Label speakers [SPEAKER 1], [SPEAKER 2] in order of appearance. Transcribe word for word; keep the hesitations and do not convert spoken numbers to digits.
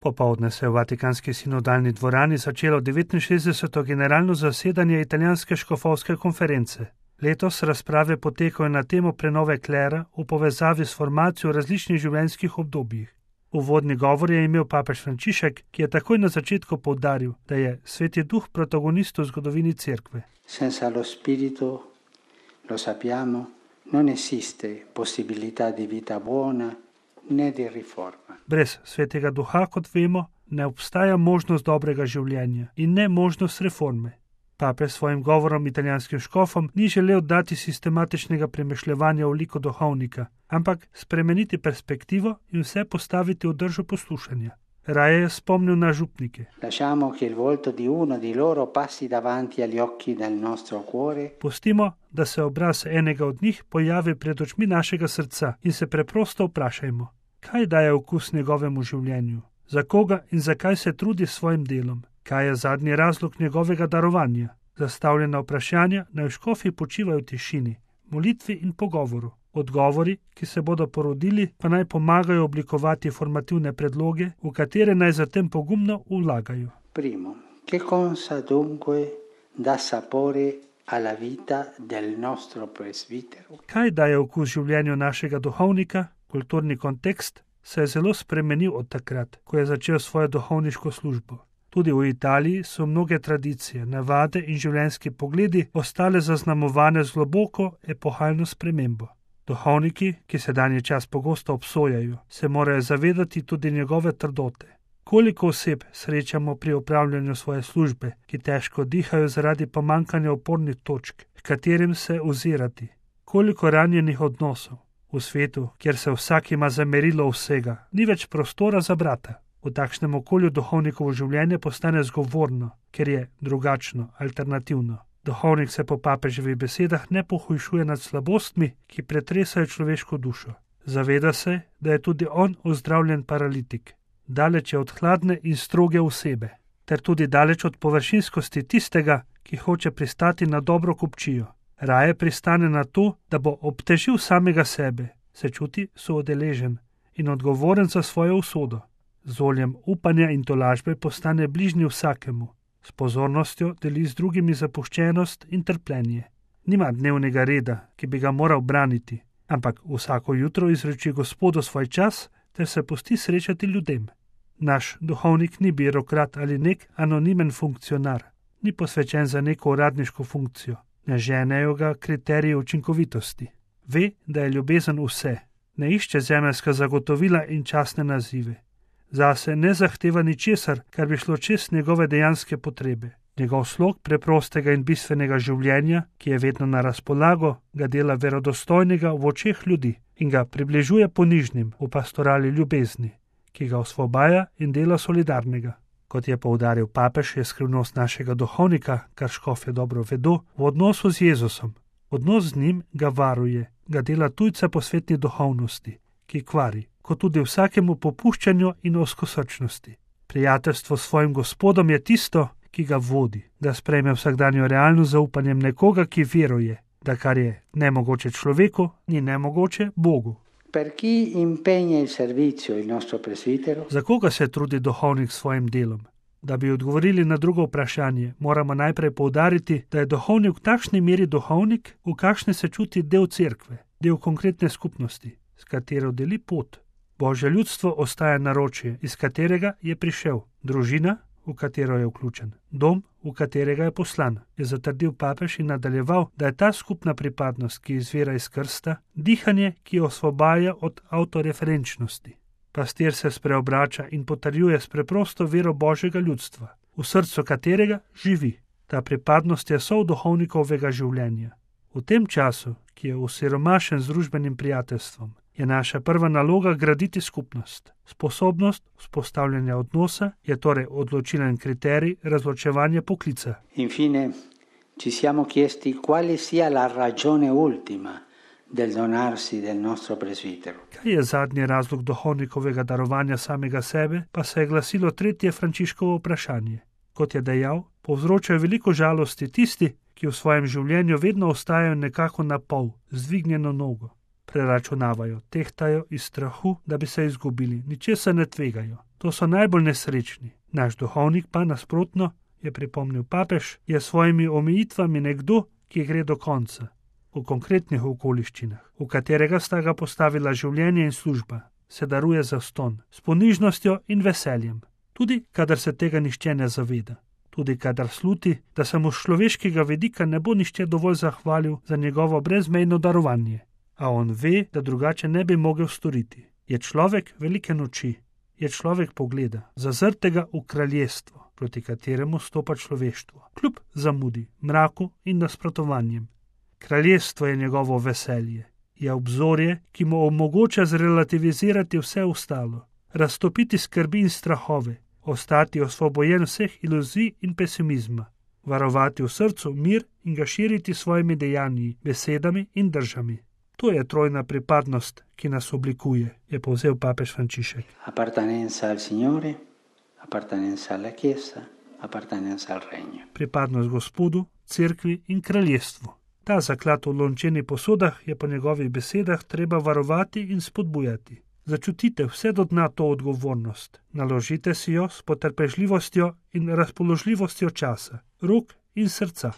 [SPEAKER 1] Popoldne se je v Vatikanski sinodalni dvorani začelo devetinšestdeseto generalno zasedanje italijanske škofovske konference. Letos razprave potekajo na temo prenove klera v povezavi s formacijo različnih življenjskih obdobjih. Uvodni govor je imel papež Frančišek, ki je takoj na začetku poudaril, da je Sveti Duh protagonist v zgodovini Cerkve.
[SPEAKER 2] Senza lo spirito, lo sappiamo, non esiste possibilità di vita buona ne di riforma.
[SPEAKER 1] Brez Svetega Duha, kot vemo, ne obstaja možnost dobrega življenja in ne možnost reforme. Papež s svojim govorom italijanskim škofom ni želel dati sistematičnega premišljevanja v liku duhovnika, ampak spremeniti perspektivo in vse postaviti v držo poslušanja. Raje je spomnil na župnike.
[SPEAKER 2] Lasciamo che il volto di uno di loro passi davanti agli occhi del nostro cuore.
[SPEAKER 1] Pustimo, da se obraz enega od njih pojavi pred očmi našega srca in se preprosto vprašajmo, kaj daje okus njegovemu življenju, za koga in zakaj se trudi s svojim delom. Kaj je zadnji razlog njegovega darovanja? Zastavljena vprašanja naj v škofji počivajo v tišini, molitvi in pogovoru. Odgovori, ki se bodo porodili, pa naj pomagajo oblikovati formativne predloge, v katere naj zatem pogumno vlagajo.
[SPEAKER 2] Primo, che cosa dunque dà sapore alla vita del nostro presbitero?
[SPEAKER 1] Kaj daje okus življenju našega duhovnika? Kulturni kontekst se je zelo spremenil od takrat, ko je začel svojo duhovniško službo. Tudi v Italiji so mnoge tradicije, navade in življenjski pogledi ostale zaznamovane z globoko epohalno spremembo. Duhovniki, ki sedanji čas pogosto obsojajo, se morajo zavedati tudi njegove trdote. Koliko oseb srečamo pri opravljanju svoje službe, ki težko dihajo zaradi pomankanja opornih točk, h katerim se ozirati. Koliko ranjenih odnosov. V svetu, kjer se vsak ima za merilo vsega, ni več prostora za brata. V takšnem okolju duhovnikovo življenje postane zgovorno, ker je drugačno, alternativno. Duhovnik se po papeževih besedah ne pohujšuje nad slabostmi, ki pretresajo človeško dušo. Zaveda se, da je tudi on ozdravljen paralitik, daleč je od hladne in stroge osebe, ter tudi daleč od površinskosti tistega, ki hoče pristati na dobro kupčijo. Raje pristane na to, da bo obtežil samega sebe, se čuti soodeležen in odgovoren za svojo usodo. Z oljem upanja in tolažbe postane bližnji vsakemu, s pozornostjo deli z drugimi zapuščenost in trpljenje. Nima dnevnega reda, ki bi ga moral braniti, ampak vsako jutro izreči Gospodu svoj čas ter se pusti srečati ljudem. Naš duhovnik ni birokrat ali nek anonimen funkcionar, ni posvečen za neko uradniško funkcijo, ne ženejo ga kriteriji učinkovitosti. Ve, da je ljubezen vse, ne išče zemeljska zagotovila in častne nazive. Zase ne zahteva ničesar, kar bi šlo čez njegove dejanske potrebe. Njegov slog preprostega in bistvenega življenja, ki je vedno na razpolago, ga dela verodostojnega v očeh ljudi in ga približuje ponižnim v pastorali ljubezni, ki ga osvobaja in dela solidarnega. Kot je poudaril papež, je skrivnost našega duhovnika, kar škofje dobro vedo, v odnosu z Jezusom. Odnos z njim ga varuje, ga dela tujca po svetni duhovnosti, ki kvari, kot tudi vsakemu popuščanju in ozkosrčnosti. Prijateljstvo s svojim Gospodom je tisto, ki ga vodi, da sprejme vsakdanjo realnost zaupanjem nekoga, ki veruje, da kar je nemogoče človeku, ni nemogoče Bogu.
[SPEAKER 2] Per chi impegna il servizio il nostro presbitero?
[SPEAKER 1] Za koga se trudi duhovnik s svojim delom? Da bi odgovorili na drugo vprašanje, moramo najprej poudariti, da je duhovnik v takšni meri duhovnik, v kakšni se čuti del cerkve, del konkretne skupnosti, s katero deli pot. Božje ljudstvo ostaja naročje, iz katerega je prišel, družina, v katero je vključen, dom, v katerega je poslan, je zatrdil papež in nadaljeval, da je ta skupna pripadnost, ki izvira iz krsta, dihanje, ki osvobaja od avtoreferenčnosti. Pastir se spreobrača in potrjuje s preprosto vero Božjega ljudstva, v srcu katerega živi. Ta pripadnost je sol duhovnikovega življenja. V tem času, ki je osiromašen z družbenim prijateljstvom, je naša prva naloga graditi skupnost. Sposobnost vzpostavljanja odnosa je torej odločilen kriterij razločevanja poklica.
[SPEAKER 2] Infine, ci siamo chiesti quale sia la ragione ultima del donarsi del nostro presbitero.
[SPEAKER 1] Kaj je zadnji razlog duhovnikovega darovanja samega sebe, pa se je glasilo tretje Frančiškovo vprašanje. Kot je dejal, povzročajo veliko žalosti tisti, ki v svojem življenju vedno ostajajo nekako na pol, z dvignjeno nogo. Preračunavajo, tehtajo iz strahu, da bi se izgubili, ničesar ne tvegajo. To so najbolj nesrečni. Naš duhovnik pa nasprotno, je pripomnil papež, je s svojimi omejitvami nekdo, ki gre do konca. V konkretnih okoliščinah, v katerega sta ga postavila življenje in služba, se daruje zastonj, s ponižnostjo in veseljem. Tudi, kadar se tega nihče ne zaveda. Tudi, kadar sluti, da se mu z človeškega vidika ne bo nihče dovolj zahvalil za njegovo brezmejno darovanje. A on ve, da drugače ne bi mogel storiti. Je človek velike noči, je človek pogleda, zazrtega v kraljestvo, proti kateremu stopa človeštvo, kljub zamudi, mraku in nasprotovanjem. Kraljestvo je njegovo veselje, je obzorje, ki mu omogoča zrelativizirati vse ostalo, raztopiti skrbi in strahove, ostati osvobojen vseh iluzij in pesimizma, varovati v srcu mir in ga širiti s svojimi dejanji, besedami in držami. To je trojna pripadnost, ki nas oblikuje, je povzel papež Frančišek.
[SPEAKER 2] Appartenenza al Signore, appartenenza alla Chiesa, appartenenza al Regno.
[SPEAKER 1] Pripadnost Gospodu, cerkvi in kraljestvu. Ta zaklad v lončenih posodah je po njegovih besedah treba varovati in spodbujati. Začutite vse do dna to odgovornost. Naložite si jo s potrpežljivostjo in razpoložljivostjo časa, rok in srca.